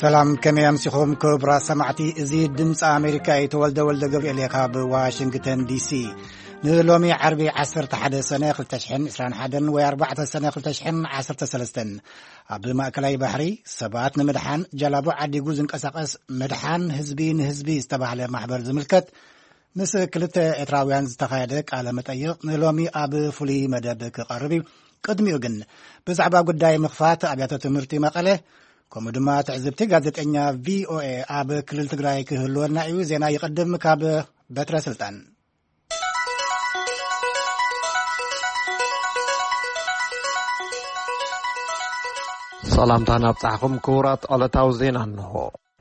ሰላም፣ ከመይ ኣምሲኹም ክቡራት ሰማዕቲ? እዚ ድምፂ ኣሜሪካ እዩ። ተወልደ ወልደ ገብርኤል እየ ካብ ዋሽንግተን ዲሲ። ንሎሚ ዓርቢ ዓሰርተ ሓደ ሰነ ክልተ ሽሕን ዕስራን ሓደን ወይ ኣርባዕተ ሰነ ክልተ ሽሕን ዓሰርተ ሰለስተን፣ ኣብ ማእከላይ ባሕሪ ሰባት ንምድሓን ጃላቡ ዓዲጉ ዝንቀሳቐስ ምድሓን ህዝቢ ንህዝቢ ዝተባህለ ማሕበር ዝምልከት ምስ ክልተ ኤርትራውያን ዝተኻየደ ቃለ መጠይቕ ንሎሚ ኣብ ፍሉይ መደብ ክቐርብ እዩ። ቅድሚኡ ግን ብዛዕባ ጉዳይ ምኽፋት ኣብያተ ትምህርቲ መቐለ፣ ከምኡ ድማ ትዕዝብቲ ጋዜጠኛ ቪኦኤ ኣብ ክልል ትግራይ ክህልወና እዩ። ዜና ይቕድም ካብ በትረ ስልጣን። ሰላምታ ናብጻሕኹም ክቡራት ዕለታዊ ዜና እንሆ።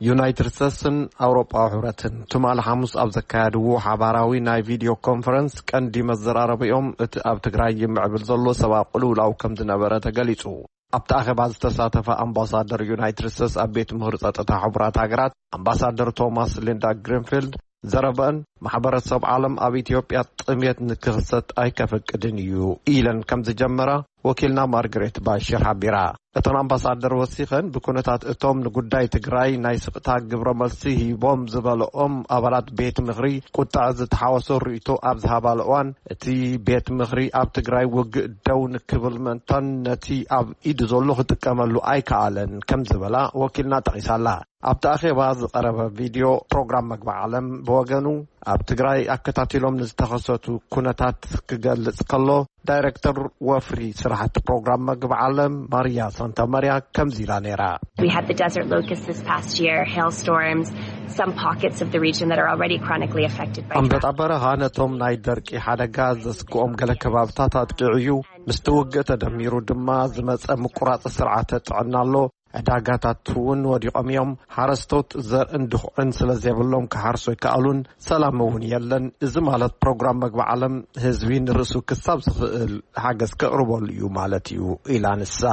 ዩናይትድ ስቴትስን ኣውሮጳዊ ሕብረትን ትማሊ ሓሙስ ኣብ ዘካየድዎ ሓባራዊ ናይ ቪድዮ ኮንፈረንስ ቀንዲ መዘራረቢኦም እቲ ኣብ ትግራይ ይምዕብል ዘሎ ሰብኣዊ ቅልውላው ከም ዝነበረ ተገሊጹ። ኣብቲ ኣኼባ ዝተሳተፈ ኣምባሳደር ዩናይትድ ስቴትስ ኣብ ቤት ምኽሪ ጸጥታ ሕቡራት ሃገራት ኣምባሳደር ቶማስ ሊንዳ ግሪንፊልድ ዘረበን ማሕበረሰብ ዓለም ኣብ ኢትዮጵያ ጥሜት ንክኽሰት ኣይከፍቅድን እዩ ኢለን ከም ዝጀመራ ወኪልና ማርግሬት ባሽር ሓቢራ። እተን ኣምባሳደር ወሲኸን ብኩነታት እቶም ንጉዳይ ትግራይ ናይ ስቕታ ግብረ መልሲ ሂቦም ዝበለኦም ኣባላት ቤት ምኽሪ ቁጥዐ ዝተሓወሶ ርእይቶ ኣብ ዝሃባሉ እዋን እቲ ቤት ምኽሪ ኣብ ትግራይ ውግእ ደው ንክብል ምእንታን ነቲ ኣብ ኢዱ ዘሎ ክጥቀመሉ ኣይከኣለን ከም ዝበላ ወኪልና ጠቒሳላ። ኣብቲ ኣኼባ ዝቐረበ ቪድዮ ፕሮግራም መግቢ ዓለም ብወገኑ ኣብ ትግራይ ኣከታቲሎም ንዝተኸሰቱ ኩነታት ክገልጽ ከሎ ዳይሬክተር ወፍሪ ስራሕቲ ፕሮግራም መግቢ ዓለም ማርያ ሳንታ ማርያ ከምዚ ኢላ ነይራ። We had the desert locust this past year, hailstorms, some pockets of the region that are already chronically affected by ኣንበጣ በረኻ ነቶም ናይ ደርቂ ሓደጋ ዘስግኦም ገለ ከባብታት ኣጥቂዑ እዩ። ምስቲ ውግእ ተደሚሩ ድማ ዝመጸ ምቁራጽ ስርዓተ ጥዕና ኣሎ። ዕዳጋታት እውን ወዲቖም እዮም። ሓረስቶት ዘርእን ድኹዕን ስለ ዘይብሎም ክሓርሱ ኣይከኣሉን። ሰላም እውን የለን። እዚ ማለት ፕሮግራም መግቢ ዓለም ህዝቢ ንርእሱ ክሳብ ዝኽእል ሓገዝ ከቕርበሉ እዩ ማለት እዩ ኢላ ንሳ።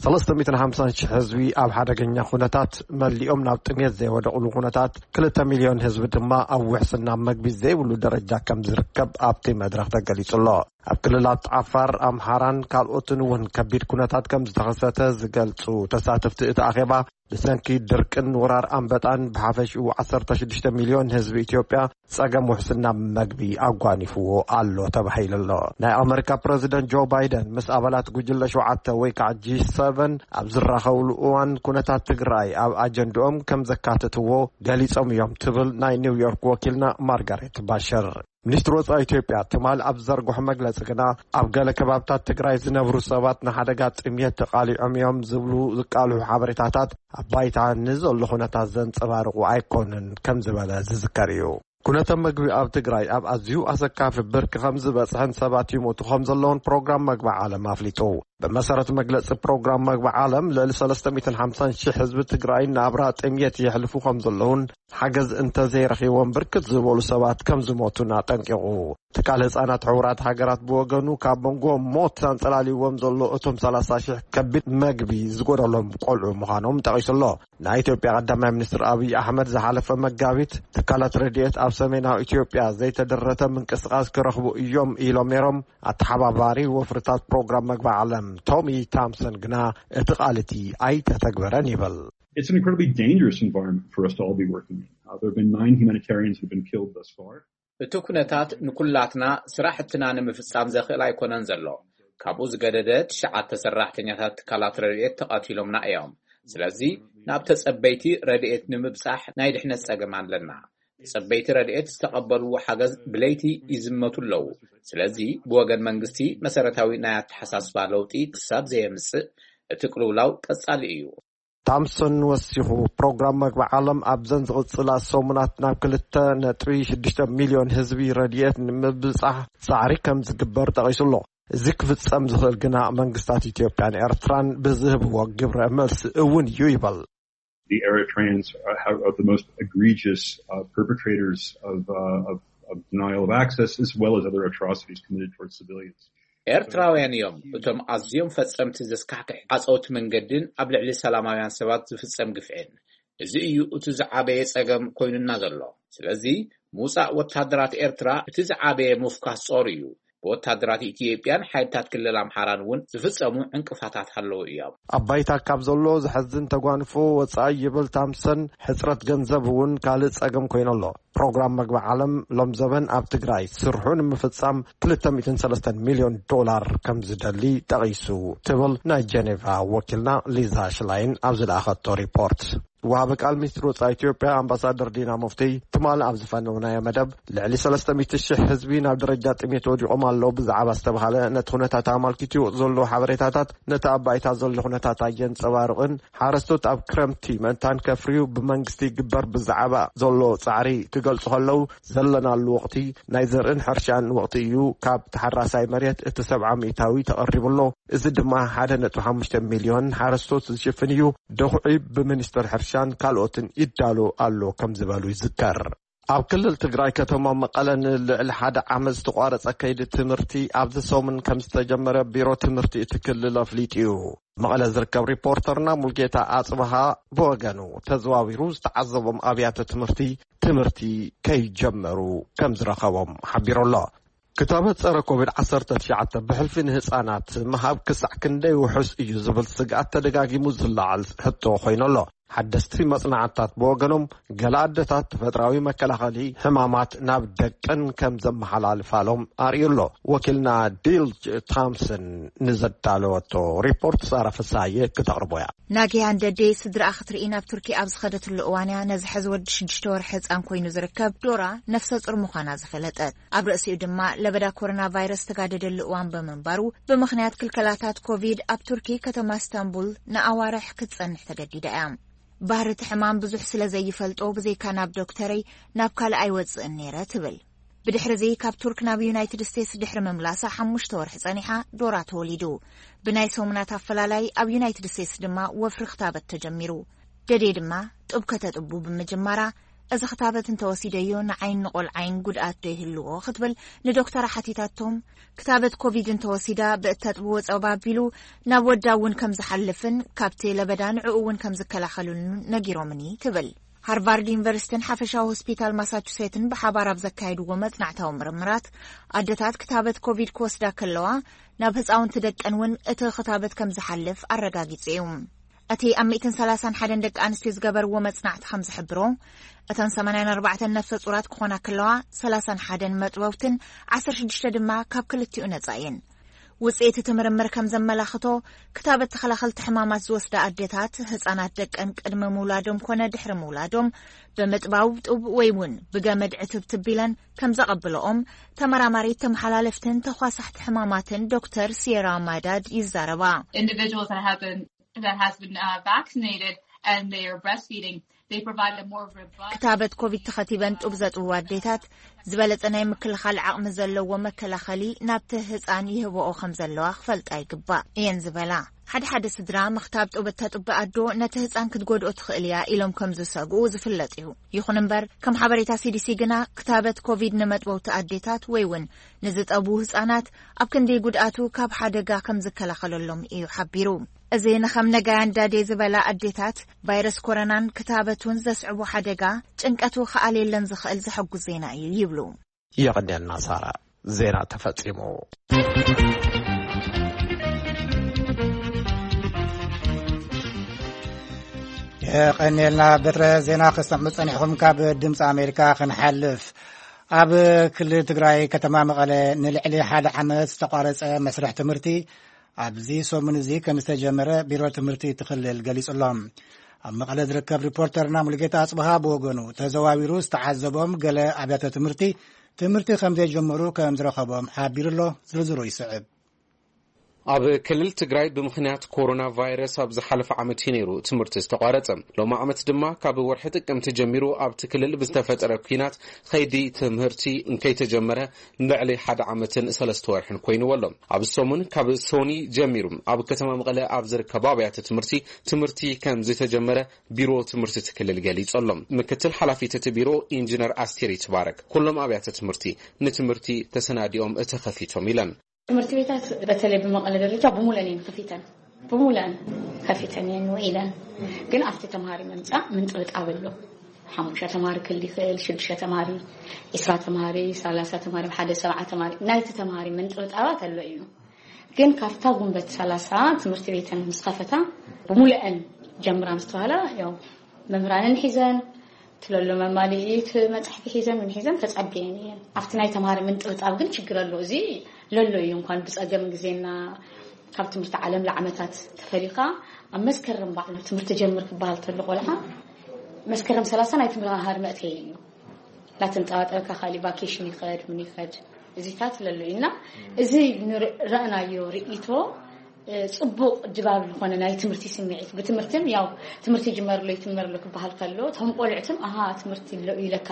ሰለስተ ሚእትን ሓምሳን ሽሕ ህዝቢ ኣብ ሓደገኛ ኩነታት መሊኦም ናብ ጥሜት ዘይወደቕሉ ኩነታት፣ ክልተ ሚልዮን ህዝቢ ድማ ኣብ ውሕስና መግቢ ዘይብሉ ደረጃ ከም ዝርከብ ኣብቲ መድረኽ ተገሊጹ ኣሎ። ኣብ ክልላት ዓፋር፣ ኣምሓራን ካልኦትን እውን ከቢድ ኩነታት ከም ዝተኸሰተ ዝገልጹ ተሳተፍቲ እቲ ኣኼባ፣ ብሰንኪ ድርቅን ወራር ኣንበጣን ብሓፈሽኡ ዓሰርተ ሽዱሽተ ሚልዮን ህዝቢ ኢትዮጵያ ጸገም ውሕስና መግቢ ኣጓኒፍዎ ኣሎ ተባሂሉ ኣሎ። ናይ ኣመሪካ ፕረዚደንት ጆ ባይደን ምስ ኣባላት ጉጅለ ሸውዓተ ወይ ከዓ ጂ ሰቨን ኣብ ዝራኸብሉ እዋን ኩነታት ትግራይ ኣብ ኣጀንድኦም ከም ዘካተትዎ ገሊጾም እዮም ትብል ናይ ኒውዮርክ ወኪልና ማርጋሬት ባሽር። ሚኒስትሪ ወጻኢ ኢትዮጵያ ትማል ኣብ ዘርግሖ መግለጺ ግና፣ ኣብ ገለ ከባብታት ትግራይ ዝነብሩ ሰባት ንሓደጋ ጥምየት ተቓሊዖም እዮም ዝብሉ ዝቃልሑ ሓበሬታታት ኣብ ባይታ ንዘሎ ኩነታት ዘንጸባርቑ ኣይኮኑን ከም ዝበለ ዝዝከር እዩ። ኩነተ መግቢ ኣብ ትግራይ ኣብ ኣዝዩ ኣሰካፊ ብርኪ ከም ዝበጽሐን ሰባት ይሞቱ ከም ዘለውን ፕሮግራም መግቢ ዓለም ኣፍሊጡ። ብመሰረት መግለጺ ፕሮግራም መግቢ ዓለም፣ ልዕሊ ሰለስተ ሚእትን ሓምሳን ሽሕ ህዝቢ ትግራይ ናብራ ጥምየት የሕልፉ ከም ዘለውን ሓገዝ እንተዘይረኺቦም ብርክት ዝበሉ ሰባት ከም ዝሞቱን ኣጠንቂቑ። ትካል ህጻናት ሕቡራት ሃገራት ብወገኑ፣ ካብ መንጎ ሞት ኣንጸላልይዎም ዘሎ እቶም ሰላሳ ሽሕ ከቢድ መግቢ ዝጎደሎም ቆልዑ ምዃኖም ጠቒሱ ኣሎ። ናይ ኢትዮጵያ ቀዳማይ ሚኒስትር ኣብይ ኣሕመድ ዝሓለፈ መጋቢት፣ ትካላት ረድኤት ኣብ ሰሜናዊ ኢትዮጵያ ዘይተደረተ ምንቅስቓስ ክረኽቡ እዮም ኢሎም ነይሮም። ኣተሓባባሪ ወፍርታት ፕሮግራም መግቢ ዓለም ቶሚ ታምሰን ግና እቲ ቃል እቲ ኣይተተግበረን ይብል። It's an incredibly dangerous environment for us to all be working in. Uh, there have been nine humanitarians who've been killed thus far. እቲ ኩነታት ንኩላትና ስራሕትና ንምፍጻም ዘኽእል ኣይኮነን ዘሎ። ካብኡ ዝገደደ ትሽዓተ ሰራሕተኛታት ትካላት ረድኤት ተቐቲሎምና እዮም። ስለዚ ናብ ተጸበይቲ ረድኤት ንምብጻሕ ናይ ድሕነት ጸገም ኣለና። ተጸበይቲ ረድኤት ዝተቐበልዎ ሓገዝ ብለይቲ ይዝመቱ ኣለዉ። ስለዚ ብወገን መንግስቲ መሰረታዊ ናይ ኣተሓሳስባ ለውጢ ክሳብ ዘየምጽእ እቲ ቅልውላው ቀጻሊ እዩ። ታምሰን ወሲኹ፣ ፕሮግራም መግቢ ዓለም ኣብዘን ዝቕጽላ ሰሙናት ናብ ክልተ ነጥቢ ሽዱሽተ ሚልዮን ህዝቢ ረድኤት ንምብጻሕ ጻዕሪ ከም ዝግበር ጠቒሱ ኣሎ። እዚ ክፍጸም ዝኽእል ግና መንግስታት ኢትዮጵያን ኤርትራን ብዝህብዎ ግብረ መልሲ እውን እዩ ይበል። The Eritreans are, are the most egregious uh, perpetrators of, uh, of, of denial of access, as well as other atrocities committed towards civilians. ኤርትራውያን እዮም እቶም ኣዝዮም ፈጸምቲ ዘስካሕክሕ ዓጸውቲ መንገድን ኣብ ልዕሊ ሰላማውያን ሰባት ዝፍጸም ግፍዕን። እዚ እዩ እቲ ዝዓበየ ጸገም ኮይኑና ዘሎ። ስለዚ ምውጻእ ወታደራት ኤርትራ እቲ ዝዓበየ ምፍኳስ ጾር እዩ። ብወታደራት ኢትዮጵያን ሓይልታት ክልል ኣምሓራን እውን ዝፍጸሙ ዕንቅፋታት ኣለዉ እዮም። ኣብ ባይታ ካብ ዘሎ ዘሐዝን ተጓንፎ ወጻኢ ይብል ታምሰን፣ ሕጽረት ገንዘብ እውን ካልእ ጸገም ኮይኑ ኣሎ። ፕሮግራም መግቢ ዓለም ሎም ዘበን ኣብ ትግራይ ስርሑ ንምፍጻም ክልተ ሚእትን ሰለስተን ሚልዮን ዶላር ከም ዝደሊ ጠቒሱ ትብል ናይ ጀኔቫ ወኪልና ሊዛ ሽላይን ኣብ ዝለኣኸቶ ሪፖርት። ወሃቢ ቃል ሚኒስትሪ ወጻኢ ኢትዮጵያ ኣምባሳደር ዲና ሙፍቲ ትማሊ ኣብ ዝፈነውናዮ መደብ፣ ልዕሊ ሰለስተ ሚእቲ ሺሕ ህዝቢ ናብ ደረጃ ጥሜት ወዲቖም ኣለዉ ብዛዕባ ዝተባሃለ ነቲ ኩነታት ኣመልኪቱ ይወጽእ ዘሎ ሓበሬታታት ነቲ ኣብ ባይታ ዘሎ ኩነታት ኣየንጸባርቕን፣ ሓረስቶት ኣብ ክረምቲ ምእንታን ከፍርዩ ብመንግስቲ ይግበር ብዛዕባ ዘሎ ጻዕሪ ክገልጹ ከለዉ፣ ዘለናሉ ወቕቲ ናይ ዘርእን ሕርሻን ወቕቲ እዩ። ካብ ተሓራሳይ መሬት እቲ ሰብዓ ሚእታዊ ተቐሪቡ ኣሎ። እዚ ድማ ሓደ ነጥቢ ሓሙሽተ ሚልዮን ሓረስቶት ዝሽፍን እዩ። ደኹዒ ብሚኒስትር ሕርሻን ካልኦትን ይዳሎ ኣሎ ከም ዝበሉ ይዝከር። ኣብ ክልል ትግራይ ከተማ መቐለ ንልዕሊ ሓደ ዓመት ዝተቋረጸ ከይዲ ትምህርቲ ኣብዚ ሰሙን ከም ዝተጀመረ ቢሮ ትምህርቲ እቲ ክልል ኣፍሊጡ እዩ። መቐለ ዝርከብ ሪፖርተርና ሙልጌታ ኣጽብሃ ብወገኑ ተዘዋዊሩ ዝተዓዘቦም ኣብያተ ትምህርቲ ትምህርቲ ከይጀመሩ ከም ዝረኸቦም ሓቢሩ ኣሎ። ክታበት ጸረ ኮቪድ ዓሰርተ ትሽዓተ ብሕልፊ ንህጻናት ምሃብ ክሳዕ ክንደይ ውሑስ እዩ ዝብል ስግኣት ተደጋጊሙ ዝለዓል ሕቶ ኮይኑ ኣሎ። ሓደስቲ መጽናዕትታት ብወገኖም፣ ገለ ኣደታት ተፈጥራዊ መከላኸሊ ሕማማት ናብ ደቀን ከም ዘመሓላልፋሎም ኣርእዩ ኣሎ። ወኪልና ዲል ታምሰን ንዘዳለወቶ ሪፖርት ሳራ ፍሳየ ክተቕርቦ እያ። ናጊያ እንደዴ ስድራኣ ክትርኢ ናብ ቱርኪ ኣብ ዝኸደትሉ እዋን እያ ነዚ ሕዚ ወዲ ሽዱሽተ ወርሒ ህጻን ኮይኑ ዝርከብ ዶራ ነፍሰ ጡር ምዃና ዝፈለጠት። ኣብ ርእሲኡ ድማ ለበዳ ኮሮና ቫይረስ ዝተጋደደሉ እዋን ብምንባሩ፣ ብምኽንያት ክልከላታት ኮቪድ ኣብ ቱርኪ ከተማ እስታንቡል ንኣዋርሕ ክትጸንሕ ተገዲዳ እያ። ባህሪ እቲ ሕማም ብዙሕ ስለ ዘይፈልጦ፣ ብዘይካ ናብ ዶክተረይ ናብ ካልእ ኣይወጽእን ነይረ ትብል። ብድሕሪ እዚ ካብ ቱርክ ናብ ዩናይትድ ስቴትስ ድሕሪ ምምላሳ ሓሙሽተ ወርሒ ጸኒሓ ዶራ ተወሊዱ። ብናይ ሰሙናት ኣፈላላይ ኣብ ዩናይትድ ስቴትስ ድማ ወፍሪ ክታበት ተጀሚሩ። ደዴ ድማ ጡብ ከተጥቡ ብምጅማራ፣ እዚ ክታበት እንተወሲደዮ ንዓይን ንቆልዓይን ጉድኣት ዶ ይህልዎ ክትብል ንዶክተራ ሓቲታቶም። ክታበት ኮቪድ እንተወሲዳ ብእተጥብዎ ጸባ ኣቢሉ ናብ ወዳ እውን ከም ዝሓልፍን ካብቲ ለበዳ ንዕኡ እውን ከም ዝከላኸሉን ነጊሮምኒ ትብል። ሃርቫርድ ዩኒቨርሲቲን ሓፈሻዊ ሆስፒታል ማሳቹሴትን ብሓባር ኣብ ዘካየድዎ መጽናዕታዊ ምርምራት፣ ኣደታት ክታበት ኮቪድ ክወስዳ ከለዋ ናብ ህጻውንቲ ደቀን እውን እቲ ክታበት ከም ዝሓልፍ ኣረጋጊጹ እዩ። እቲ ኣብ ሚእትን ሰላሳን ሓደን ደቂ ኣንስትዮ ዝገበርዎ መጽናዕቲ ከም ዝሕብሮ፣ እተን ሰማንያን ኣርባዕተን ነፍሰ ጹራት ክኾና ከለዋ፣ ሰላሳን ሓደን መጥበውትን ዓሰርተ ሽዱሽተ ድማ ካብ ክልቲኡ ነጻ እየን። ውጽኢት እቲ ምርምር ከም ዘመላኽቶ፣ ክታበት ተኸላኸልቲ ሕማማት ዝወስዳ ኣዴታት፣ ህጻናት ደቀን ቅድሚ ምውላዶም ኮነ ድሕሪ ምውላዶም፣ ብምጥባው ጡብ ወይ እውን ብገመድ ዕትብትብ ኢለን ከም ዘቐብለኦም፣ ተመራማሪት ተመሓላለፍትን ተኳሳሕቲ ሕማማትን ዶክተር ሲየራ ማዳድ ይዛረባ። Individuals that have been, that has been uh, vaccinated and they are breastfeeding, they provide a more robust ክታበት ኮቪድ ተኸቲበን ጡብ ዘጥብዋ ኣዴታት፣ ዝበለጸ ናይ ምክልኻል ዓቕሚ ዘለዎ መከላኸሊ ናብቲ ህጻን ይህብኦ ከም ዘለዋ ክፈልጣ ይግባእ እየን ዝበላ። ሓደ ሓደ ስድራ ምኽታብ ጡብ እተጥቢ ኣዶ ነቲ ህጻን ክትጎድኦ ትኽእል እያ ኢሎም ከም ዝሰግኡ ዝፍለጥ እዩ። ይኹን እምበር፣ ከም ሓበሬታ ሲዲሲ ግና፣ ክታበት ኮቪድ ንመጥበውቲ ኣዴታት ወይ እውን ንዝጠቡ ህጻናት ኣብ ክንዲ ጉድኣቱ ካብ ሓደጋ ከም ዝከላኸለሎም እዩ ሓቢሩ። እዚ ንኸም ነጋያን ዳዴ ዝበላ ኣዴታት፣ ቫይረስ ኮሮናን ክታበቱን ዘስዕቦ ሓደጋ ጭንቀቱ ክኣልየለን ዝኽእል ዘሐጉስ ዜና እዩ ይብሉ። የቐንየልና ሳራ። ዜና ተፈጺሙ። የቐንየልና በትረ። ዜና ክሰምዑ ጸኒሕኹም። ካብ ድምፂ ኣሜሪካ ክንሓልፍ፣ ኣብ ክልል ትግራይ ከተማ መቐለ ንልዕሊ ሓደ ዓመት ዝተቋረጸ መስርሕ ትምህርቲ ኣብዚ ሰሙን እዚ ከም ዝተጀመረ ቢሮ ትምህርቲ እቲ ክልል ገሊጹ ኣሎ። ኣብ መቐለ ዝርከብ ሪፖርተርና ሙሉጌታ ኣጽብሃ ብወገኑ ተዘዋዊሩ ዝተዓዘቦም ገለ ኣብያተ ትምህርቲ ትምህርቲ ከም ዘይጀመሩ ከም ዝረኸቦም ሓቢሩ ኣሎ። ዝርዝሩ ይስዕብ። ኣብ ክልል ትግራይ ብምኽንያት ኮሮና ቫይረስ ኣብ ዝሓለፈ ዓመት እዩ ነይሩ ትምህርቲ ዝተቋረጸ። ሎም ዓመት ድማ ካብ ወርሒ ጥቅምቲ ጀሚሩ ኣብቲ ክልል ብዝተፈጠረ ኲናት ኸይዲ ትምህርቲ እንከይተጀመረ ንልዕሊ ሓደ ዓመትን ሰለስተ ወርሕን ኮይንዎ ኣሎ። ኣብ ሰሙን ካብ ሶኒ ጀሚሩ ኣብ ከተማ መቐለ ኣብ ዝርከቡ ኣብያተ ትምህርቲ ትምህርቲ ከም ዝተጀመረ ቢሮ ትምህርቲ እቲ ክልል ገሊጹ ኣሎ። ምክትል ሓላፊት እቲ ቢሮ ኢንጂነር ኣስቴር ይትባረክ፣ ኩሎም ኣብያተ ትምህርቲ ንትምህርቲ ተሰናዲኦም ተኸፊቶም ኢለን። ትምህርቲ ቤታት በተለይ ብመቐለ ደረጃ ብሙለን እየን ከፊተን፣ ብሙለን ከፊተን እየን ውዒለን። ግን ኣብቲ ተምሃሪ ምምፃእ ምንጥብጣብ ኣሎ። ሓሙሽተ ተማሪ ክል ይኽእል፣ ሽዱሽተ ተማሪ፣ ዒስራ ተማሪ፣ ሰላሳ ተማሪ፣ ሓደ ሰብዓ ተማሪ፣ ናይቲ ተማሪ ምንጥብጣባት ኣሎ እዩ። ግን ካብታ ጉንበት ሰላሳ ትምህርቲ ቤተን ምስ ከፈታ፣ ብሙሉአን ጀምራ ምስ ተባሃላ፣ ያው መምህራንን ሒዘን፣ ትለሎ መማልኢት መጻሕፊ ሒዘን፣ ምን ሒዘን ተጸብየን እየን። ኣብቲ ናይ ተማሪ ምንጥብጣብ ግን ችግር ኣሎ። እዚ ለሎ እዩ። እንኳን ብጸገም ግዜና ካብ ትምህርቲ ዓለም ለዓመታት ተፈሊኻ፣ ኣብ መስከረም ባዕሉ ትምህርቲ ጀምር ክበሃል ተሎ ቆልዓ፣ መስከረም ሰላሳ ናይ ትምህርቲ መእተይ እዩ። ላተንጠባጠበካ ካሊ ቫኬሽን ይኸድ፣ ምን ይኸድ፣ እዚታት ለሎ እዩ። እና እዚ ንር-፣ ረእናዮ ርእይቶ፣ እ፣ ጽቡቕ ድባብ ዝኾነ ናይ ትምህርቲ ስምዒት፣ ብትምህርትን ያው ትምህርቲ ይጅመርሎ ይትመርሎ ክበሃል ከሎ፣ እቶም ቆልዕትን፣ ኣሃ፣ ትምህርቲ ኣሎ እዩ ለካ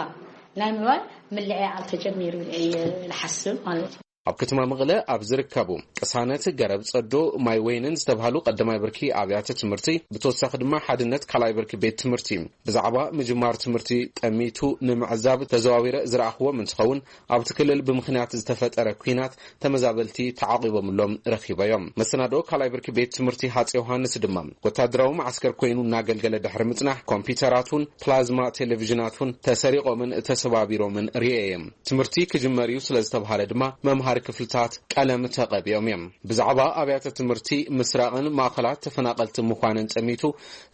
ናይ ምባል ምልዕዓል ተጀሚሩ ኢለ እየ ዝሓስብ ማለት እዩ። ኣብ ከተማ መቐለ ኣብ ዝርከቡ ቅሳነት፣ ገረብ ጸዶ፣ ማይ ወይንን ዝተባህሉ ቀዳማይ ብርኪ ኣብያተ ትምህርቲ፣ ብተወሳኺ ድማ ሓድነት ካልኣይ ብርኪ ቤት ትምህርቲ ብዛዕባ ምጅማር ትምህርቲ ጠሚቱ ንምዕዛብ ተዘዋዊረ ዝረኣኽዎም እንትኸውን፣ ኣብቲ ክልል ብምኽንያት ዝተፈጠረ ኲናት ተመዛበልቲ ተዓቒቦምሎም ረኺበዮም። መሰናዶ ካልኣይ ብርኪ ቤት ትምህርቲ ሃፀይ ዮሃንስ ድማ ወታደራዊ መዓስከር ኮይኑ እናገልገለ ድሕሪ ምጽናሕ፣ ኮምፒውተራት እውን ፕላዝማ ቴሌቪዥናት እውን ተሰሪቖምን ተሰባቢሮምን ርእየ እየ። ትምህርቲ ክጅመር እዩ ስለ ዝተባሃለ ድማ መምሃሪ ክፍልታት ቀለም ተቐቢኦም እዮም። ብዛዕባ ኣብያተ ትምህርቲ ምስራቕን ማእኸላት ተፈናቐልቲ ምዃንን ጠሚቱ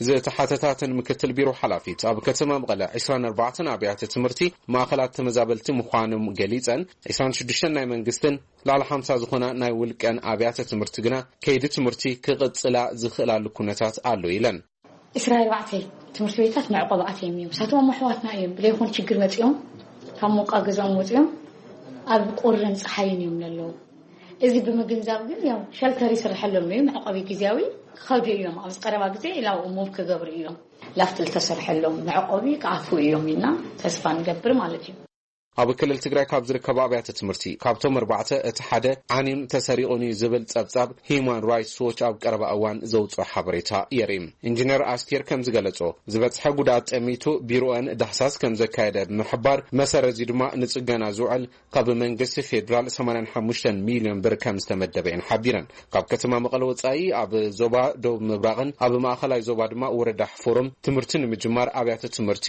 ዝተሓተታትን ምክትል ቢሮ ሓላፊት ኣብ ከተማ መቐለ ዒስራን ኣርባዕተን ኣብያተ ትምህርቲ ማእኸላት ተመዛበልቲ ምዃኖም ገሊፀን፣ ዒስራን ሽዱሽተን ናይ መንግስትን ልዕሊ ሓምሳ ዝኾና ናይ ውልቀን ኣብያተ ትምህርቲ ግና ከይዲ ትምህርቲ ክቕፅላ ዝኽእላሉ ኩነታት ኣሎ ኢለን። ዒስራን ኣርባዕተን ትምህርቲ ቤታት መዕቆቢ ኣትዮም እዮም። ንሳቶም ኣሕዋትና እዮም። ብለይኹን ችግር መፂኦም፣ ካብ ሞቃ ገዛኦም ወፂኦም ኣብ ቁርን ፀሓይን እዮም ዘለዉ። እዚ ብምግንዛብ ግን ያው ሸልተር ይስርሐሎም እዩ። መዕቆቢ ግዜያዊ ክኸዱ እዮም። ኣብዚ ቀረባ ግዜ ላው ሙቭ ክገብሩ እዮም። ላፍትል ተሰርሐሎም መዕቆቢ ክኣትዉ እዮም ኢልና ተስፋ ንገብር ማለት እዩ። ኣብ ክልል ትግራይ ካብ ዝርከቡ ኣብያተ ትምህርቲ ካብቶም ኣርባዕተ እቲ ሓደ ዓንዩን ተሰሪቑን እዩ ዝብል ጸብጻብ ሂዩማን ራይትስ ዎች ኣብ ቀረባ እዋን ዘውፅኦ ሓበሬታ የርኢ። ኢንጂነር ኣስቴር ከም ዝገለጾ፣ ዝበጽሐ ጉድኣት ጠሚቱ ቢሮአን ዳህሳስ ከም ዘካየደ ብምሕባር፣ መሰረት እዚ ድማ ንጽገና ዝውዕል ካብ መንግስቲ ፌዴራል ሰማንያን ሓሙሽተን ሚልዮን ብር ከም ዝተመደበ እየን ሓቢረን። ካብ ከተማ መቐለ ወጻኢ ኣብ ዞባ ደቡብ ምብራቕን ኣብ ማእኸላይ ዞባ ድማ ወረዳ ሕፎሮም ትምህርቲ ንምጅማር ኣብያተ ትምህርቲ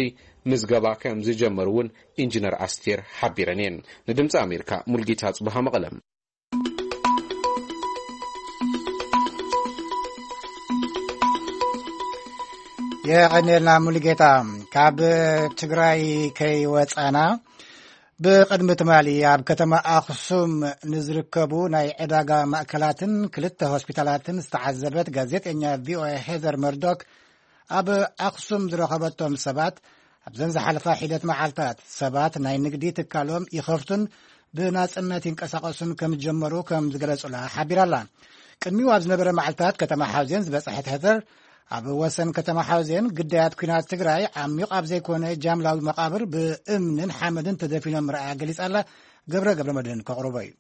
ምዝገባ ከም ዝጀመሩ እውን ኢንጂነር ኣስቴር ሓቢረን እየን። ንድምፂ ኣሜሪካ ሙልጌታ ጽብሃ መቐለ። የቐኔልና ሙሉጌታ። ካብ ትግራይ ከይወፃና፣ ብቕድሚ ትማሊ ኣብ ከተማ ኣኽሱም ንዝርከቡ ናይ ዕዳጋ ማእከላትን ክልተ ሆስፒታላትን ዝተዓዘበት ጋዜጠኛ ቪኦኤ ሄዘር መርዶክ፣ ኣብ ኣኽሱም ዝረኸበቶም ሰባት፣ ኣብዘን ዝሓለፋ ሒደት መዓልታት ሰባት ናይ ንግዲ ትካሎም ይኸፍቱን ብናጽነት ይንቀሳቐሱን ከም ዝጀመሩ ከም ዝገለጹላ ሓቢራላ። ቅድሚኡ ኣብ ዝነበረ መዓልታት ከተማ ሓውዜን ዝበጽሐት ሄዘር፣ ኣብ ወሰን ከተማ ሓውዜን ግዳያት ኲናት ትግራይ ዓሚቕ ኣብ ዘይኮነ ጃምላዊ መቓብር ብእምንን ሓመድን ተደፊኖም ምርኣያ ገሊጻላ። ገብረ ገብረ መድህን ከቕርቦ እዩ።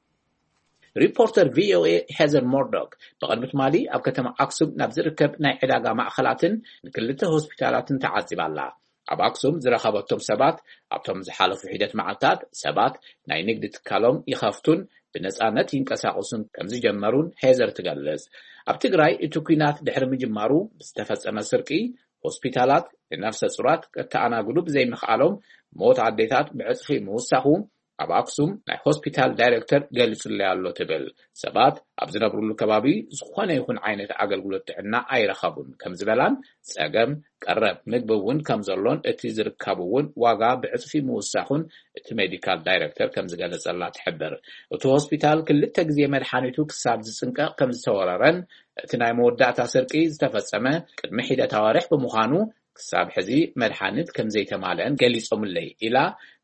ሪፖርተር ቪኦኤ ሄዘር ሞርዶክ ብቕድሚ ትማሊ ኣብ ከተማ ኣክሱም ናብ ዝርከብ ናይ ዕዳጋ ማእኸላትን ንክልተ ሆስፒታላትን ተዓዚባ ኣላ። ኣብ ኣክሱም ዝረኸበቶም ሰባት፣ ኣብቶም ዝሓለፉ ሒደት መዓልታት ሰባት ናይ ንግዲ ትካሎም ይኸፍቱን ብነጻነት ይንቀሳቐሱን ከም ዝጀመሩን ሄዘር ትገልጽ። ኣብ ትግራይ እቲ ኲናት ድሕሪ ምጅማሩ ብዝተፈጸመ ስርቂ፣ ሆስፒታላት ንነፍሰ ጹራት ከተኣናግዱ ብዘይምኽኣሎም፣ ሞት ኣዴታት ብዕጽፊ ምውሳኹ፣ ኣብ ኣክሱም ናይ ሆስፒታል ዳይሬክተር ገሊጹለይ ኣሎ ትብል። ሰባት ኣብ ዝነብሩሉ ከባቢ ዝኾነ ይኹን ዓይነት ኣገልግሎት ጥዕና ኣይረኸቡን ከም ዝበላን፣ ጸገም ቀረብ ምግቢ እውን ከም ዘሎን፣ እቲ ዝርከቡ እውን ዋጋ ብዕጽፊ ምውሳኹን እቲ ሜዲካል ዳይሬክተር ከም ዝገለጸላ ትሕብር። እቲ ሆስፒታል ክልተ ግዜ መድሓኒቱ ክሳብ ዝጽንቀቕ ከም ዝተወረረን፣ እቲ ናይ መወዳእታ ስርቂ ዝተፈጸመ ቅድሚ ሒደት ኣዋርሕ ብምዃኑ፣ ክሳብ ሕዚ መድሓኒት ከም ዘይተማልአን ገሊጾምለይ ኢላ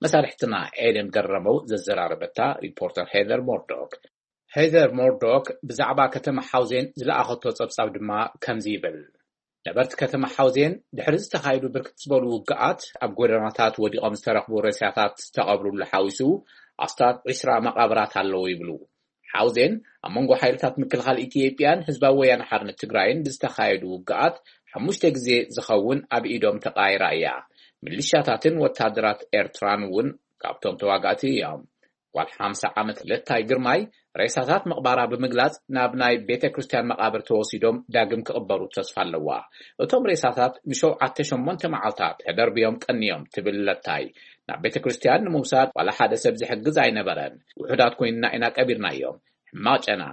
መሳርሕትና ኤደን ገረመው ዘዘራረበታ ሪፖርተር ሄዘር ሞርዶክ። ሄዘር ሞርዶክ ብዛዕባ ከተማ ሓውዜን ዝለኣኸቶ ጸብጻብ ድማ ከምዚ ይብል። ነበርቲ ከተማ ሓውዜን ድሕሪ ዝተኻየዱ ብርክት ዝበሉ ውግኣት ኣብ ጎደናታት ወዲቖም ዝተረኽቡ ሬሳታት ዝተቐብሩሉ ሓዊሱ ኣስታት ዒስራ መቓብራት ኣለዉ ይብሉ። ሓውዜን ኣብ መንጎ ሓይልታት ምክልኻል ኢትዮጵያን ህዝባዊ ወያነ ሓርነት ትግራይን ብዝተኻየዱ ውግኣት ሓሙሽተ ግዜ ዝኸውን ኣብ ኢዶም ተቓይራ እያ። ሚሊሻታትን ወታደራት ኤርትራን እውን ካብቶም ተዋጋእቲ እዮም። ጓል ሓምሳ ዓመት ለታይ ግርማይ ሬሳታት ምቕባራ ብምግላጽ፣ ናብ ናይ ቤተ ክርስቲያን መቓብር ተወሲዶም ዳግም ክቕበሩ ተስፋ ኣለዋ። እቶም ሬሳታት ንሸውዓተ ሸሞንተ መዓልታት ተደርብዮም ቀንዮም ትብል ለታይ፣ ናብ ቤተ ክርስቲያን ንምውሳድ ዋላ ሓደ ሰብ ዝሕግዝ ኣይነበረን። ውሑዳት ኮይንና ኢና ቀቢርናዮም። ሕማቕ ጨና፣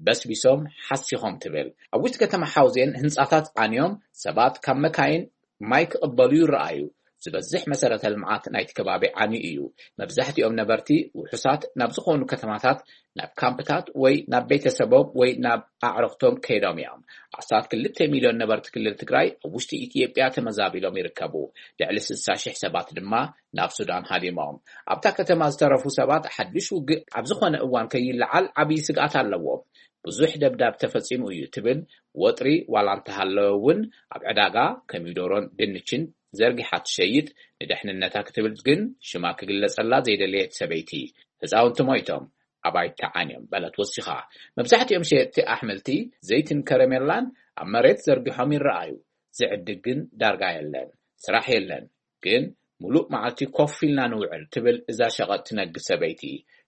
በስቢሶም፣ ሓሲኾም ትብል። ኣብ ውሽጢ ከተማ ሓውዜን ህንጻታት ዓንዮም፣ ሰባት ካብ መካይን ማይ ክቕበሉ ይረኣዩ። ዝበዝሕ መሰረተ ልምዓት ናይቲ ከባቢ ዓንዩ እዩ። መብዛሕትኦም ነበርቲ ውሑሳት ናብ ዝኾኑ ከተማታት፣ ናብ ካምፕታት ወይ ናብ ቤተሰቦም ወይ ናብ ኣዕርኽቶም ከይዶም እዮም። ኣስታት ክልተ ሚልዮን ነበርቲ ክልል ትግራይ ኣብ ውሽጢ ኢትዮጵያ ተመዛቢሎም ይርከቡ። ልዕሊ ስልሳ ሺሕ ሰባት ድማ ናብ ሱዳን ሃዲሞም። ኣብታ ከተማ ዝተረፉ ሰባት ሓድሽ ውግእ ኣብ ዝኾነ እዋን ከይለዓል ዓብዪ ስግኣት ኣለዎም። ብዙሕ ደብዳብ ተፈጺሙ እዩ ትብል። ወጥሪ ዋላ እንተሃለወ እውን፣ ኣብ ዕዳጋ ኮሚደሮን ድንችን ዘርጊሓ ትሸይጥ፣ ንደሕንነታ ክትብል ግን ሽማ ክግለጸላ ዘይደለየት ሰበይቲ፣ ህፃውንቲ ሞይቶም፣ ኣባይቲ ተዓንዮም በለት ወሲኻ። መብዛሕትኦም ሸየጥቲ ኣሕምልቲ፣ ዘይትን ከረሜላን ኣብ መሬት ዘርጊሖም ይረኣዩ። ዝዕድግ ግን ዳርጋ የለን። ስራሕ የለን። ግን ሙሉእ መዓልቲ ኮፍ ኢልና ንውዕል ትብል እዛ ሸቐጥ ትነግድ ሰበይቲ።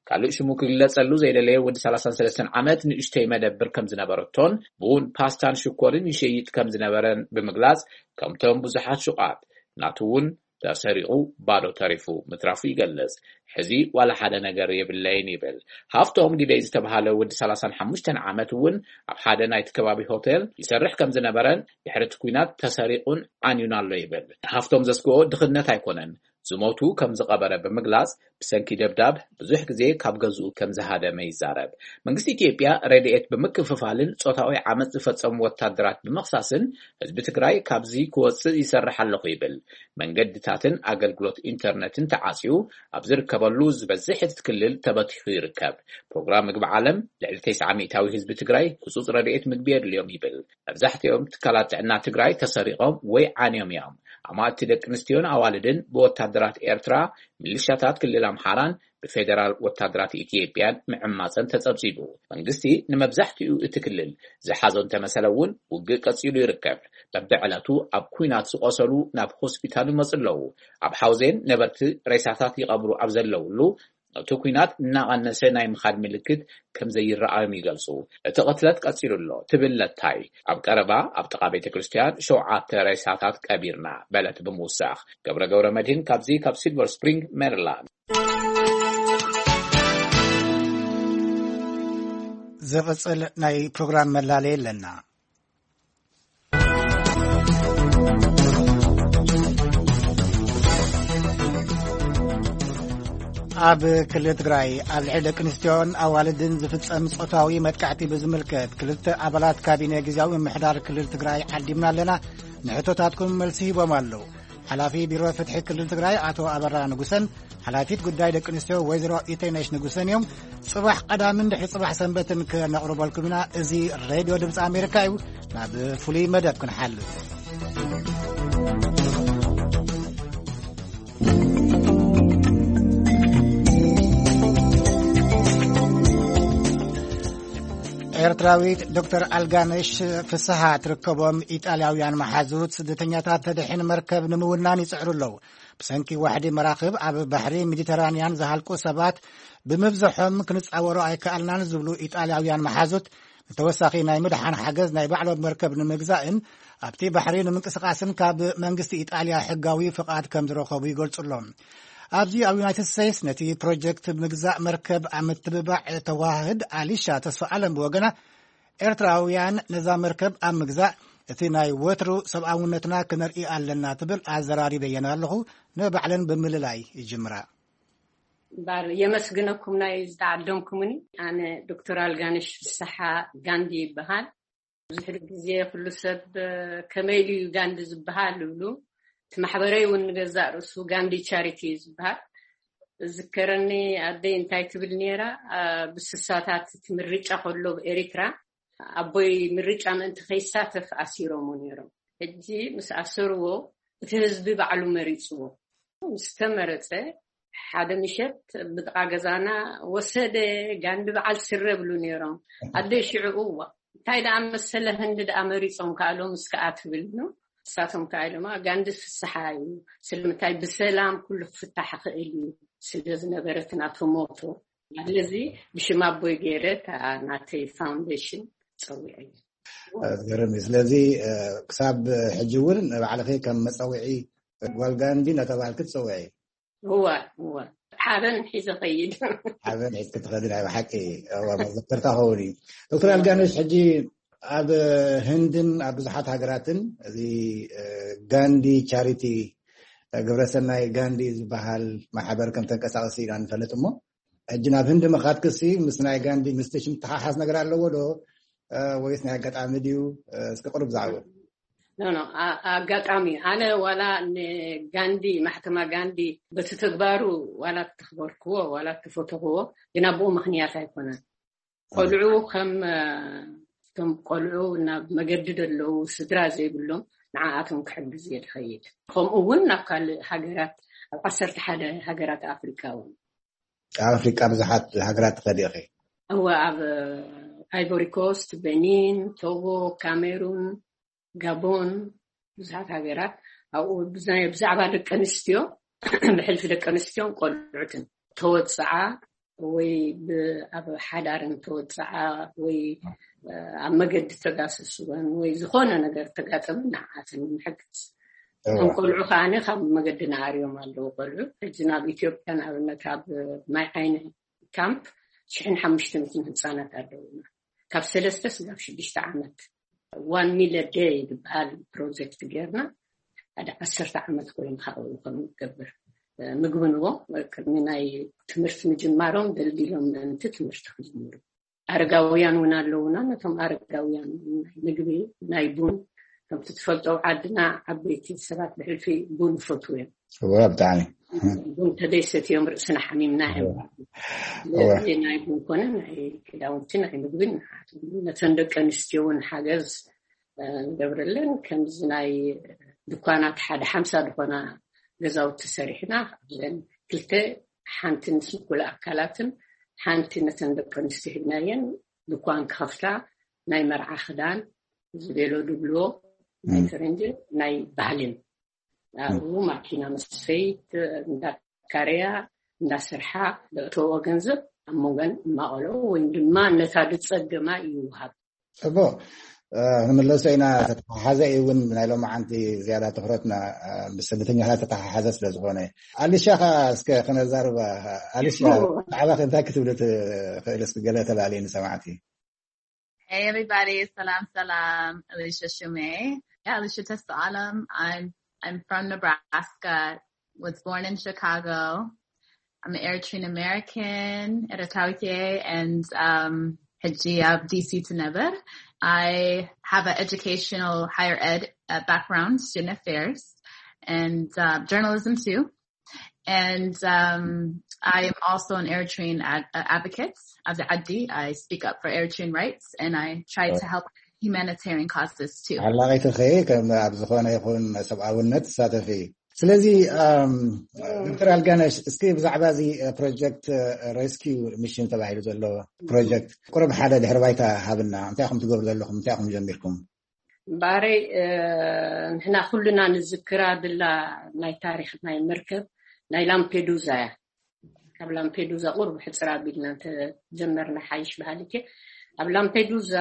ካልእ ሽሙ ክግለጸሉ ዘይደለየ ወዲ ሰላሳን ሰለስተን ዓመት ንእሽተይ መደብር ከም ዝነበረቶን ቡን፣ ፓስታን ሽኮርን ይሸይጥ ከም ዝነበረን ብምግላጽ፣ ከምቶም ብዙሓት ሹቓት ናቱ እውን ተሰሪቑ ባዶ ተሪፉ ምትራፉ ይገልጽ። ሕዚ ዋላ ሓደ ነገር የብለይን ይብል። ሃፍቶም ግደይ ዝተባሃለ ወዲ ሰላሳን ሓሙሽተን ዓመት እውን ኣብ ሓደ ናይቲ ከባቢ ሆቴል ይሰርሕ ከም ዝነበረን ድሕሪ እቲ ኲናት ተሰሪቑን ዓንዩን ኣሎ ይብል። ሃፍቶም ዘስግኦ ድኽነት ኣይኮነን፣ ዝሞቱ ከም ዝቐበረ ብምግላጽ፣ ብሰንኪ ደብዳብ ብዙሕ ግዜ ካብ ገዝኡ ከም ዝሃደመ ይዛረብ። መንግስቲ ኢትዮጵያ ረድኤት ብምክፍፋልን ጾታዊ ዓመጽ ዝፈጸሙ ወታደራት ብምኽሳስን ህዝቢ ትግራይ ካብዚ ክወጽእ ይሰርሕ ኣለኹ ይብል። መንገድታትን ኣገልግሎት ኢንተርነትን ተዓጽዩ ኣብ ዝርከበሉ ዝበዝሕ እቲ ክልል ተበቲኹ ይርከብ። ፕሮግራም ምግቢ ዓለም ልዕሊ ተስዓ ሚእታዊ ህዝቢ ትግራይ ህጹጽ ረድኤት ምግቢ የድልዮም ይብል። መብዛሕትኦም ትካላት ጥዕና ትግራይ ተሰሪቖም ወይ ዓንዮም እዮም። ኣማእቲ ደቂ ኣንስትዮን ኣዋልድን ብወታደራት ኤርትራ፣ ሚሊሻታት ክልል ኣምሓራን ብፌደራል ወታደራት ኢትዮጵያን ምዕማፀን ተጸብጺቡ። መንግስቲ ንመብዛሕትኡ እቲ ክልል ዝሓዞ እንተመሰለ እውን ውግእ ቀጺሉ ይርከብ። በብዕለቱ ኣብ ኲናት ዝቖሰሉ ናብ ሆስፒታል ይመጹ ኣለዉ። ኣብ ሓውዜን ነበርቲ ሬሳታት ይቐብሩ ኣብ ዘለውሉ፣ እቲ ኲናት እናቐነሰ ናይ ምኻድ ምልክት ከም ዘይረኣዮም ይገልጹ። እቲ ቅትለት ቀጺሉ ኣሎ ትብል ለታይ፣ ኣብ ቀረባ ኣብ ጥቓ ቤተ ክርስቲያን ሸውዓተ ሬሳታት ቀቢርና በለት ብምውሳኽ። ገብረ ገብረ መድህን ካብዚ ካብ ሲልቨር ስፕሪንግ ሜሪላንድ። ዝቕጽል ናይ ፕሮግራም መላለይ ኣለና። ኣብ ክልል ትግራይ ኣብ ልዕሊ ደቂ ኣንስትዮን ኣዋልድን ዝፍጸም ጾታዊ መጥቃዕቲ ብዝምልከት ክልተ ኣባላት ካቢነ ግዝያዊ ምምሕዳር ክልል ትግራይ ዓዲምና ኣለና። ንሕቶታትኩም መልሲ ሂቦም ኣለዉ። ሓላፊ ቢሮ ፍትሒ ክልል ትግራይ ኣቶ ኣበራ ንጉሰን ሓላፊት ጉዳይ ደቂ ኣንስትዮ ወይዘሮ ኢተይነሽ ንጉሰን እዮም። ጽባሕ ቀዳምን ድሕሪ ጽባሕ ሰንበትን ከነቕርበልኩም ኢና። እዚ ሬድዮ ድምፂ ኣሜሪካ እዩ። ናብ ፍሉይ መደብ ክንሓልፍ። ኤርትራዊት ዶክተር ኣልጋነሽ ፍስሃ ትርከቦም ኢጣልያውያን መሓዙት ስደተኛታት ተድሕን መርከብ ንምውናን ይጽዕሩ ኣለዉ። ብሰንኪ ዋሕዲ መራኽብ ኣብ ባሕሪ ሜዲተራንያን ዝሃልቁ ሰባት ብምብዝሖም ክንጻወሮ ኣይከኣልናን ዝብሉ ኢጣልያውያን መሓዙት፣ ንተወሳኺ ናይ ምድሓን ሓገዝ ናይ ባዕሎም መርከብ ንምግዛእን ኣብቲ ባሕሪ ንምንቅስቓስን ካብ መንግስቲ ኢጣልያ ሕጋዊ ፍቓድ ከም ዝረኸቡ ይገልጹ ኣለዉ። ኣብዚ ኣብ ዩናይትድ ስቴትስ ነቲ ፕሮጀክት ምግዛእ መርከብ ኣብ ምትብባዕ ተዋህድ ኣሊሻ ተስፋ ኣለም ብወገና፣ ኤርትራውያን ነዛ መርከብ ኣብ ምግዛእ እቲ ናይ ወትሩ ሰብኣውነትና ክነርኢ ኣለና ትብል ኣዘራሪበየን ኣለኹ። ንባዕለን ብምልላይ ይጅምራ። እምበኣር የመስግነኩም ናይ ዝተዓደምኩምኒ። ኣነ ዶክተር ኣልጋነሽ ፍስሓ ጋንዲ ይበሃል። ብዙሕ ግዜ ኩሉ ሰብ፣ "ከመይ ኢሉ እዩ ጋንዲ ዝበሃል?" ይብሉ። እቲ ማሕበረይ እውን ንገዛእ ርእሱ ጋንዲ ቻሪቲ እዩ ዝበሃል። እዝከረኒ ኣደይ እንታይ ትብል ነይራ፣ ኣ፣ ብስሳታት እቲ ምርጫ ከሎ ኣብ ኤሪትራ ኣቦይ ምርጫ ምእንቲ ከይሳተፍ ኣሲሮሞ ነይሮም። ሕጂ ምስ ኣሰርዎ እቲ ህዝቢ ባዕሉ መሪጽዎ። ምስ ተመረጸ ሓደ ምሸት ብጥቓ ገዛና ወሰደ፣ ጋንዲ በዓል ስረ ብሉ ነይሮም። ኣደይ ሽዑ፣ "እዋ፣ እንታይ ደኣ መሰለ ህንዲ ደኣ መሪጾም ከኣ ሎምስ ከኣ?" ትብል ነው። ንሳቶም ከኣ ኢሎም፣ "ኣ፣ ጋንዲ ፍስሓ እዩ። ስለምንታይ ብሰላም ኩሉ ክፍታሕ ይኽእል እዩ ስለ ዝነበረ እቲ ናቶም ሞቶ ስለዚ ብሽም ኣቦይ ገይረ እታ ናተይ ፋውንዴሽን ጸዊዐ። ዝገርም እዩ። ስለዚ ክሳብ ሕጂ እውን ንባዕልኺ ከም መፀውዒ ጓል ጋንዲ እናተባህልኪ ትፀውዒ። እዋ እዋ ሓበን ሒዘ ኸይድ። ሓበን ሒዝኪ ትኸዲ። ናይ ብሓቂ መዘክርታ ኸውን እዩ። ዶክተር ኣልጋነሽ፣ ሕጂ ኣብ ህንድን ኣብ ብዙሓት ሃገራትን እዚ ጋንዲ ቻሪቲ፣ ግብረሰናይ ጋንዲ ዝበሃል ማሕበር ከም ተንቀሳቐሲ ኢና ንፈልጥ። እሞ ሕጂ ናብ ህንዲ ምኻድክሲ ምስ ናይ ጋንዲ ኢንስቲቱሽን ተሓሓዝ ነገር ኣለዎ ዶ ወይስ ናይ ኣጋጣሚ ድዩ? እስኪ ቅሩብ ዛዕባ። ኣጋጣሚ ኣነ ዋላ ንጋንዲ ማሕተማ ጋንዲ በቲ ተግባሩ ዋላ ተኽበርክዎ ዋላ ተፈተኽዎ፣ ግና ብኡ ምኽንያት ኣይኮነን። ቆልዑ ከም ከም ቆልዑ ናብ መገዲ ዘለዉ ስድራ ዘይብሎም ንዓኣቶም ክሕግዝ እየ ዝኸይድ። ከምኡ እውን ናብ ካልእ ሃገራት ኣብ ዓሰርተ ሓደ ሃገራት ኣፍሪቃ እውን። ኣብ ኣፍሪቃ ብዙሓት ሃገራት ትኸዲ ኢኺ? እወ፣ ኣብ ኣይቮሪ ኮስት፣ ቤኒን፣ ቶጎ፣ ካሜሩን፣ ጋቦን፣ ብዙሓት ሃገራት ኣብኡ ብዛይ- ብዛዕባ ደቂ ኣንስትዮ ብሕልፊ ደቂ ኣንስትዮን ቆልዑትን ተወፅዓ ወይ ብ- ኣብ ሓዳርን ተወፅዓ ወይ ኣብ መገዲ ተጋሰስወን ወይ ዝኾነ ነገር ተጋጠመ ንዓኣትን ንምሕግዝ። እቶም ቆልዑ ከዓኒ ካብ መገዲ ነኣርዮም ኣለዉ። ቆልዑ ሕጂ ናብ ኢትዮጵያ ንኣብነት ኣብ ማይ ዓይኒ ካምፕ ሽሕን ሓሙሽተ ሚእትን ህፃናት ኣለዉና ካብ ሰለስተ ስጋብ ሽዱሽተ ዓመት። ዋን ሚለ ደይ ዝበሃል ፕሮጀክት ጌርና ሓደ ዓሰርተ ዓመት ኮይኑ ካብኡ ከም ንገብር ምግቢ ንቦ ቅድሚ ናይ ትምህርቲ ምጅማሮም ደልዲሎም ምእንቲ ትምህርቲ ክጅምሩ። ኣረጋውያን እውን ኣለውና። ነቶም ኣረጋውያን ናይ ምግቢ ናይ ቡን፣ ከምቲ ትፈልጦ ዓድና ዓበይቲ ሰባት ብሕልፊ ቡን ይፈትዉ እዮም። እወ፣ ብጣዕሚ። ቡን ተደይሰት እዮም ርእስና ሓሚምና እዮም። ስለዚ ናይ ቡን ኮነ ናይ ክዳውንቲ ናይ ምግቢ ንሓት ነተን ደቂ ኣንስትዮ እውን ሓገዝ ንገብረለን። ከምዚ ናይ ድኳናት ሓደ ሓምሳ ዝኾና ገዛውቲ ሰሪሕና ካብዘን ክልተ ሓንቲ ንስንኩል ኣካላትን ሓንቲ ነተን ደቂ ኣንስትዮ ሂብናየን ድኳን ክኸፍታ ናይ መርዓ ክዳን ዝቤሎ ድብልዎ ናይ ፈረንጂ ናይ ባህልን ኣብኡ ማኪና መስፈይት እንዳካረያ እንዳሰርሓ ደእተዎ ገንዘብ ኣብ መንጎን እማቐሎ ወይም ድማ ነታ ድጸገማ ይውሃብ። ጽቡቕ። ክንምለሶ ኢና። ተተሓሓዘ እዩ እውን ናይ ሎማዓንቲ ዝያዳ ትኩረትና ምስ ስደተኛታት ተተሓሓዘ ስለ ዝኾነ። ኣሊሻ ኸ እስከ ክነዛርባ። ኣሊሻ፣ ብዛዕባ እንታይ ክትብሊ ትኽእል? እስኪ ገለ ተላልየ ንሰማዕቲ። Hey everybody, ሰላም ሰላም። Alicia Shume. Yeah, Alicia Testalam. I'm I'm from Nebraska. Was born in Chicago. I'm an Eritrean American, Eritawite, and um, ሕጂ ኣብ D C ትነብር. I have an educational higher ed uh, background, student affairs, and uh, journalism too. And um, I am also an Eritrean ad- uh, advocate. ኣብዚ ዓዲ, I speak up for Eritrean rights and I try to help humanitarian causes too. ሓላቒትኺ ከም ኣብ ዝኾነ ይኹን ሰብኣውነት ትሳተፊ። ስለዚ ዶክተር ኣልጋነሽ፣ እስኪ ብዛዕባ እዚ ፕሮጀክት ሬስኪው ሚሽን ተባሂሉ ዘሎ ፕሮጀክት ቁሩብ ሓደ ድሕሪ ባይታ ሃብና። እንታይ ኢኹም ትገብሩ ዘለኹም? እንታይ ኢኹም ጀሚርኩም? እምበኣረይ ንሕና ኩልና ንዝክራ ድላ ናይ ታሪክ ናይ መርከብ ናይ ላምፔዱዛ እያ። ካብ ላምፔዱዛ ቁርብ ሕፅር ኣቢልና እንተጀመርና ሓይሽ በሃሊት እየ። ኣብ ላምፔዱዛ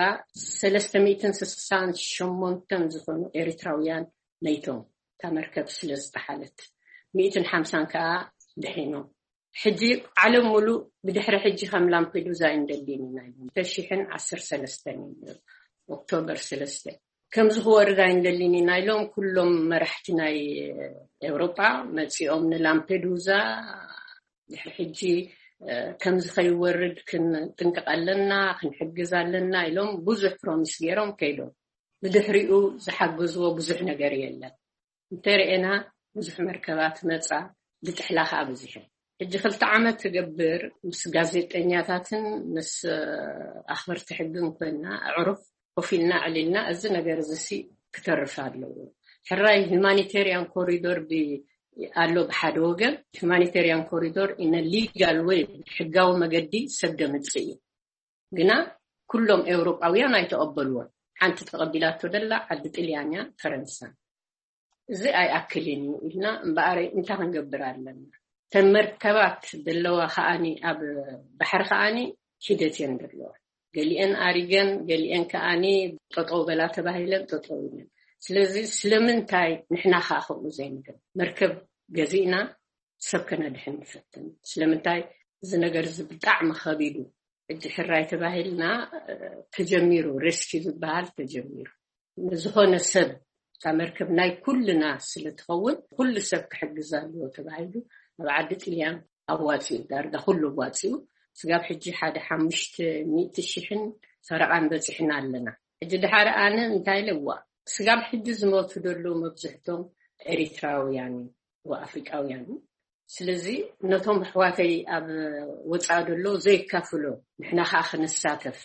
ሰለስተ ሚእትን ስሳን ሸሞንተን ዝኾኑ ኤርትራውያን መይቶም፣ እታ መርከብ ስለ ዝጠሓለት፣ ሚእትን ሓምሳን ከዓ ድሒኖም። ሕጂ ዓለም ሙሉእ ብድሕሪ ሕጂ ከም ላምፔዱዛ እዩ እንደሊን ኢና ኢሎም። ክልተ ሽሕን ዓሰርተ ሰለስተን እዩ ኦክቶበር ሰለስተ ከምዚ ክወርድ ኣይንደሊን ኢና ኢሎም ኩሎም መራሕቲ ናይ ኤውሮጳ መጺኦም ንላምፔዱዛ ድሕሪ ሕጂ ከምዚ ከይወርድ ክንጥንቀቕ ኣለና፣ ክንሕግዝ ኣለና ኢሎም ብዙሕ ፕሮሚስ ገይሮም ከይዶም። ብድሕሪኡ ዝሓገዝዎ ብዙሕ ነገር የለን። እንተርኤና ብዙሕ መርከባት መጻ፣ ብጥሕላ ከዓ በዚሐን። ሕጂ ክልተ ዓመት ትገብር ምስ ጋዜጠኛታትን ምስ ኣኽበርቲ ሕግን ኮይና ኣዕሩኽ ኮፍ ኢልና ኣዕሊልና እዚ ነገር እዚ ሲ ክተርፍ ኣለዎ። ሕራይ ሁማኒቴሪያን ኮሪዶር ኣሎ ብሓደ ወገን፣ ሁማኒቴሪያን ኮሪዶር ኢነ ሊጋል ወይ ብሕጋዊ መገዲ ሰብ ደምጽእ እዩ። ግና ኩሎም ኤውሮጳውያን ኣይተቐበልዎን። ሓንቲ ተቐቢላቶ ደላ ዓዲ ጥልያን እያ፣ ፈረንሳ። እዚ ኣይኣክልን እዩ ኢልና እምበኣር እንታይ ክንገብር ኣለና? ተን መርከባት ዘለዋ ከዓኒ ኣብ ባሕሪ ከዓኒ ሒደት እየን ዘለዋ። ገሊአን ኣሪገን፣ ገሊአን ከዓኒ ጠጠው በላ ተባሂለን ጠጠው ኢለን። ስለዚ ስለምንታይ ንሕና ከዓ ከምኡ ዘይንገብር? መርከብ ገዚእና ሰብ ከነድሕን ንፈትን። ስለምንታይ እዚ ነገር እዚ ብጣዕሚ ከቢዱ፣ ሕጂ ሕራይ ተባሂልና፣ እ፣ ተጀሚሩ፣ ሬስኪ ዝበሃል ተጀሚሩ። ንዝኾነ ሰብ እታ መርከብ ናይ ኩልና ስለ ትኸውን፣ ኩሉ ሰብ ክሕግዝ ኣለዎ ተባሂሉ ኣብ ዓዲ ጥልያን ኣዋፂኡ፣ ዳርጋ ኩሉ ኣዋፂኡ። ስጋብ ሕጂ ሓደ ሓሙሽተ ሚእቲ ሽሕን ፈረቓን በፂሕና ኣለና። ሕጂ ድሓር ኣነ እንታይ ኢለ፣ ዋ፣ ስጋብ ሕጂ ዝሞቱ ዘለዉ መብዝሕቶም ኤሪትራውያን እዮም፣ ኣፍሪቃውያን እዮም። ስለዚ ነቶም ኣሕዋተይ ኣብ ወፃኢ ዘሎ ዘይካፍሎ፣ ንሕና ከዓ ክንሳተፍ፣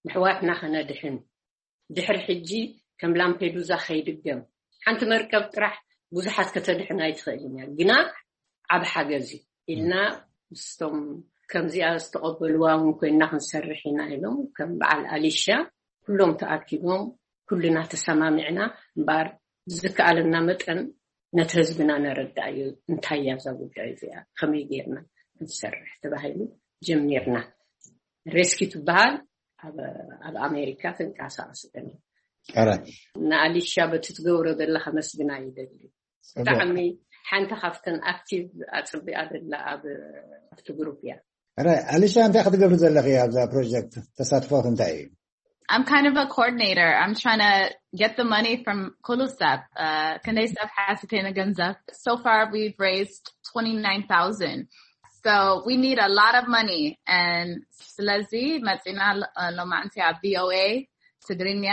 ንሕዋትና ከነድሕን፣ ድሕሪ ሕጂ ከም ላምፔዱዛ ከይድገም፣ ሓንቲ መርከብ ጥራሕ ብዙሓት ከተድሕን ኣይትኽእልን እያ፣ ግና ዓብ ሓገዝ እዩ ኢልና ምስቶም ከምዚኣ ዝተቐበልዋ እውን ኮይና ክንሰርሕ ኢና ኢሎም፣ ከም በዓል ኣሊሻ ኩሎም ተኣኪቦም ኩልና ተሰማሚዕና። እምበኣር ብዝከኣለና መጠን ነቲ ህዝብና ነረዳእዮ፣ እንታይ እያ እዛ ጉዳይ እዚኣ፣ ከመይ ጌርና ክንሰርሕ ተባሂሉ ጀሚርና። ሬስኪ ትበሃል፣ ኣብ ኣብ ኣሜሪካ ትንቀሳቐስ እያ። ኣረ ንኣሊሻ በቲ ትገብሮ ዘላ ከመስግና ይደሊ። ብጣዕሚ ሓንቲ ካብተን ኣክቲቭ ኣፅቢኣ ዘላ ኣብ ኣብቲ ግሩፕ እያ። ኣረ ኣሊሻ፣ እንታይ ክትገብሪ ዘለኺ ኣብዛ ፕሮጀክት? ተሳትፎ እንታይ እዩ? I'm kind of a coordinator. I'm trying to get the money from Kulusep. Uh, ክንደይ ሰብ ሓሲተና ገንዘብ? So far, we've raised twenty-nine thousand. So we need a lot of money. And ስለዚ መፂና ሎማዕንቲ ኣብ V O A ትግርኛ.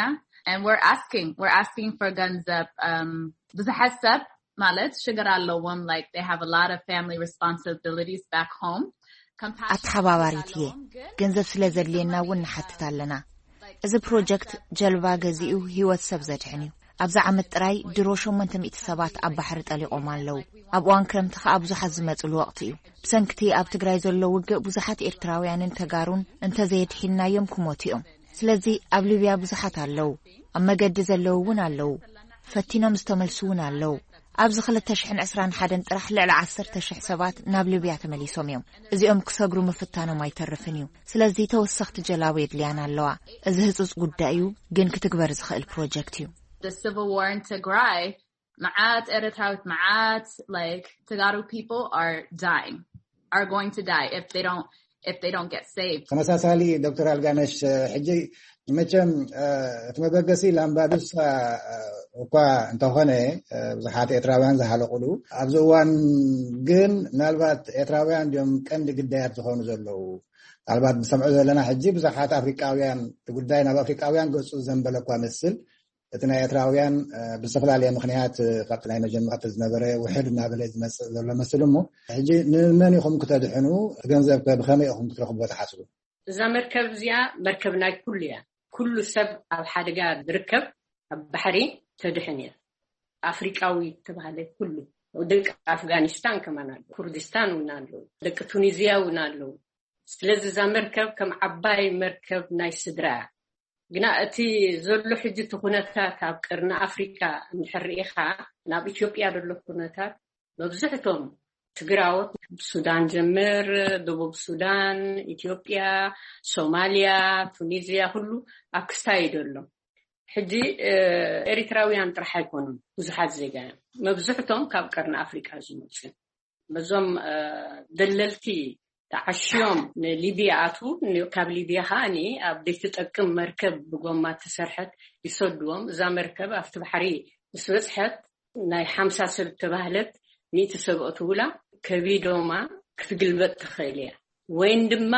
And we're asking, we're asking for ገንዘብ. Um, ብዙሓት ሰብ ማለት ሽግር ኣለዎም, like, they have a lot of family responsibilities back home. ኣተሓባባሪት እየ። ገንዘብ ስለ ዘድልየና እውን ንሓትት ኣለና። እዚ ፕሮጀክት ጀልባ ገዚኡ ህይወት ሰብ ዘድሕን እዩ። ኣብዚ ዓመት ጥራይ ድሮ ሸሞንተ ሚእቲ ሰባት ኣብ ባሕሪ ጠሊቖም ኣለዉ። ኣብ እዋን ክረምቲ ከኣ ብዙሓት ዝመጽሉ ወቕቲ እዩ። ብሰንክቲ ኣብ ትግራይ ዘሎ ውግእ ብዙሓት ኤርትራውያንን ተጋሩን እንተዘየድሒንናዮም ክሞቱ እዮም። ስለዚ ኣብ ሊብያ ብዙሓት ኣለዉ። ኣብ መገዲ ዘለዉ እውን ኣለዉ። ፈቲኖም ዝተመልሱ እውን ኣለዉ። ኣብዚ ክልተ ሽሕን ዕስራን ሓደን ጥራሕ ልዕሊ ዓሰርተ ሽሕ ሰባት ናብ ሊብያ ተመሊሶም እዮም። እዚኦም ክሰግሩ ምፍታኖም ኣይተርፍን እዩ። ስለዚ ተወሰኽቲ ጀላቡ የድልያና ኣለዋ። እዚ ህጹጽ ጉዳይ እዩ፣ ግን ክትግበር ዝኽእል ፕሮጀክት እዩ። The civil war in Tigray, መዓት ኤርትራዊት፣ መዓት, like, Tagaru people are dying, are going to die if they don't, if they don't get saved. ተመሳሳሊ ዶክተር ኣልጋነሽ፣ ሕጂ መቸም እቲ መበገሲ ላምባዱሳ እኳ እንተኾነ፣ ብዙሓት ኤርትራውያን ዝሃለቁሉ ኣብዚ እዋን ግን፣ ምናልባት ኤርትራውያን ድዮም ቀንዲ ግዳያት ዝኾኑ ዘለዉ? ምናልባት ብሰምዖ ዘለና ሕጂ ብዙሓት ኣፍሪቃውያን፣ እቲ ጉዳይ ናብ ኣፍሪቃውያን ገጹ ዘንበለ እኳ መስል፣ እቲ ናይ ኤርትራውያን ብዝተፈላለየ ምኽንያት ካብቲ ናይ መጀመርታ ዝነበረ ውሕድ እናበለ ዝመጽእ ዘሎ መስል እሞ፣ ሕጂ ንመን ኢኹም ክተድሕኑ? ገንዘብ ከ ብኸመይ ኢኹም ክትረኽብዎ ትሓስቡ? እዛ መርከብ እዚኣ መርከብ ናይ ኩሉ እያ። ኩሉ ሰብ ኣብ ሓደጋ ዝርከብ ኣብ ባሕሪ ተድሕን እያ። ኣፍሪቃዊ ተባሃለ ኩሉ፣ ደቂ ኣፍጋኒስታን ከማን ኣሎ፣ ኩርዲስታን እውን ኣሎ፣ ደቂ ቱኒዝያ እውን ኣለዉ። ስለዚ እዛ መርከብ ከም ዓባይ መርከብ ናይ ስድራ እያ። ግና እቲ ዘሎ ሕጂ እቲ ኩነታት ኣብ ቀርኒ ኣፍሪካ እንድሕር ርኢኻ፣ ናብ ኢትዮጵያ ዘሎ ኩነታት መብዝሕቶም ትግራዎት፣ ሱዳን ጀምር፣ ደቡብ ሱዳን፣ ኢትዮጵያ፣ ሶማልያ፣ ቱኒዝያ፣ ኩሉ ኣብ ክስታይ እዩ ዘሎ። ሕጂ ኤሪትራውያን ጥራሕ ኣይኮኑን ብዙሓት ዜጋ እዮም። መብዝሕቶም ካብ ቀርኒ ኣፍሪቃ ዝመፁ እዮም። በዞም ደለልቲ ተዓሽዮም ንሊብያ ኣትዉ፣ ካብ ሊብያ ከዓ ኣብ ዘይትጠቅም መርከብ ብጎማ ተሰርሐት ይሰድዎም። እዛ መርከብ ኣብቲ ባሕሪ ምስ በፅሐት፣ ናይ ሓምሳ ሰብ ተባህለት፣ ሚእቲ ሰብ ኣእትውላ፣ ከቢዶማ ክትግልበጥ ትኽእል እያ። ወይን ድማ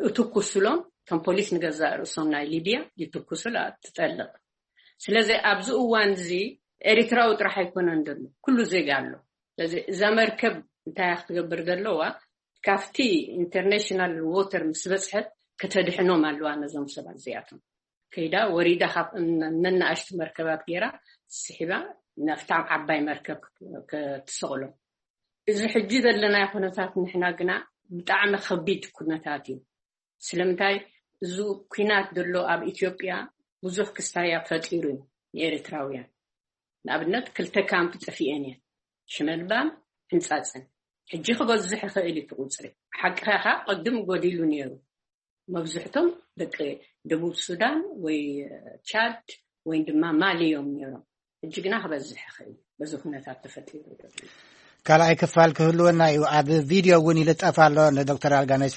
እትኩስሎም፣ ከም ፖሊስ ንገዛእ ርእሶም ናይ ሊብያ ይትኩሱላ፣ ትጠልቕ። ስለዚ ኣብዚ እዋን እዚ ኤሪትራዊ ጥራሕ ኣይኮነን ዘሎ፣ ኩሉ ዜጋ ኣሎ። ስለዚ እዛ መርከብ እንታይ እያ ክትገብር ዘለዋ? ካብቲ ኢንተርናሽናል ዎተር ምስ በፅሐት ከተድሕኖም ኣለዋ ነዞም ሰባት እዚኣቶም። ከይዳ ወሪዳ ካብ ነናእሽቱ መርከባት ገይራ ስሒባ ናብታ ዓባይ መርከብ ክትስቕሎም። እዚ ሕጂ ዘለናዮ ኩነታት ንሕና ግና ብጣዕሚ ከቢድ ኩነታት እዩ። ስለምንታይ? እዚ ኩናት ዘሎ ኣብ ኢትዮጵያ ብዙሕ ክስታያ ፈጢሩ እዩ ንኤርትራውያን። ንኣብነት ክልተ ካምፕ ጠፊኤን እየን፣ ሽመልባን ሕንጻጽን። ሕጂ ክበዝሕ ይኽእል እዩ እቲ ቁፅሪ። ሓቅኻ ኢኻ፣ ቅድም ጎዲሉ ነይሩ። መብዝሕቶም ደቂ ደቡብ ሱዳን ወይ ቻድ ወይ ድማ ማሊ እዮም ነይሮም። ሕጂ ግና ክበዝሕ ይኽእል እዩ፣ በዚ ኩነታት ተፈጢሩ ዘሎ። ካልኣይ ክፋል ክህልወና እዩ። ኣብ ቪድዮ እውን ይልጠፍ ኣሎ፣ ንዶክተር ኣልጋነሽ